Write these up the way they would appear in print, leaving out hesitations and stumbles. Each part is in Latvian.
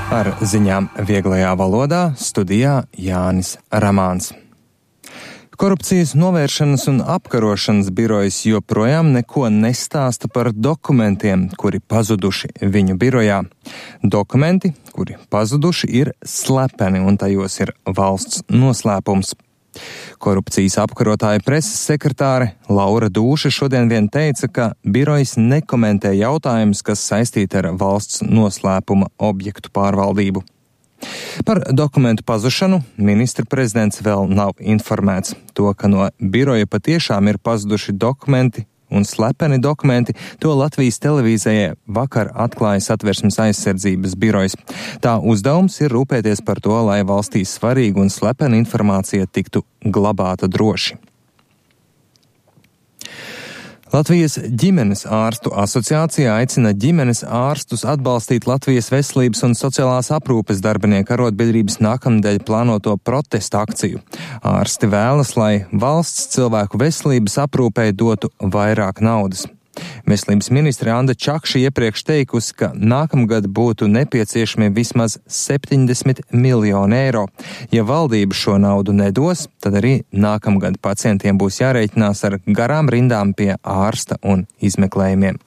Ar ziņām vieglajā valodā studijā Jānis Ramāns. Korupcijas novēršanas un apkarošanas birojas joprojām neko nestāsta par dokumentiem, kuri pazuduši viņu birojā. Dokumenti, kuri pazuduši, ir slepeni un tajos ir valsts noslēpums. Korupcijas apkarotāja preses sekretāre Laura Dūša šodien vien teica, ka birojas nekomentē jautājumus, kas saistīti ar valsts noslēpuma objektu pārvaldību. Par dokumentu pazušanu ministra prezidents vēl nav informēts. To, ka no biroja patiešām ir pazuduši dokumenti un slepeni dokumenti, to Latvijas televīzijai vakar atklāja Satversmes aizsardzības birojas. Tā uzdevums ir rūpēties par to, lai valstī svarīga un slepena informācija tiktu glabāta droši. Latvijas ģimenes ārstu asociācija aicina ģimenes ārstus atbalstīt Latvijas veselības un sociālās aprūpes darbinieku arotbiedrības nākamnedēļ plānoto protesta akciju. Ārsti vēlas, lai valsts cilvēku veselības aprūpei dotu vairāk naudas. Veselības ministre Anda Čakša iepriekš teikusi, ka nākamgad būtu nepieciešami vismaz 70 miljoni eiro. Ja valdība šo naudu nedos, tad arī nākamgad pacientiem būs jārēķinās ar garām rindām pie ārsta un izmeklējumiem.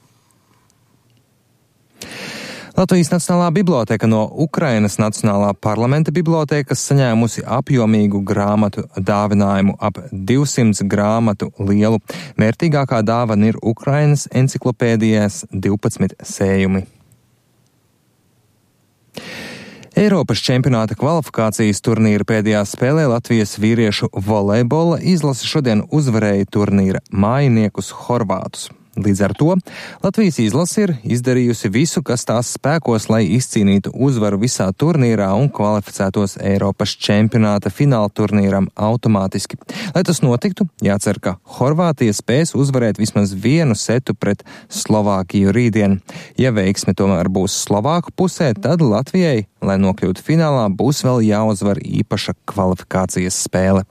Latvijas Nacionālā biblioteka no Ukrainas Nacionālā parlamenta bibliotekas saņēmusi apjomīgu grāmatu dāvinājumu ap 200 grāmatu lielu. Vērtīgākā dāvana ir Ukrainas enciklopēdijas 12 sējumi. Eiropas čempionāta kvalifikācijas turnīra pēdējā spēlē Latvijas vīriešu volejbola izlase šodien uzvarēja turnīra mājiniekus Horvātus. Līdz ar to Latvijas izlase ir izdarījusi visu, kas tās spēkos, lai izcīnītu uzvaru visā turnīrā un kvalificētos Eiropas čempionāta fināla turnīram automātiski. Lai tas notiktu, jācer, ka Horvātija spēs uzvarēt vismaz vienu setu pret Slovākiju rītdien. Ja veiksme tomēr būs Slovāku pusē, tad Latvijai, lai nokļūtu finālā, būs vēl jāuzvar īpaša kvalifikācijas spēle.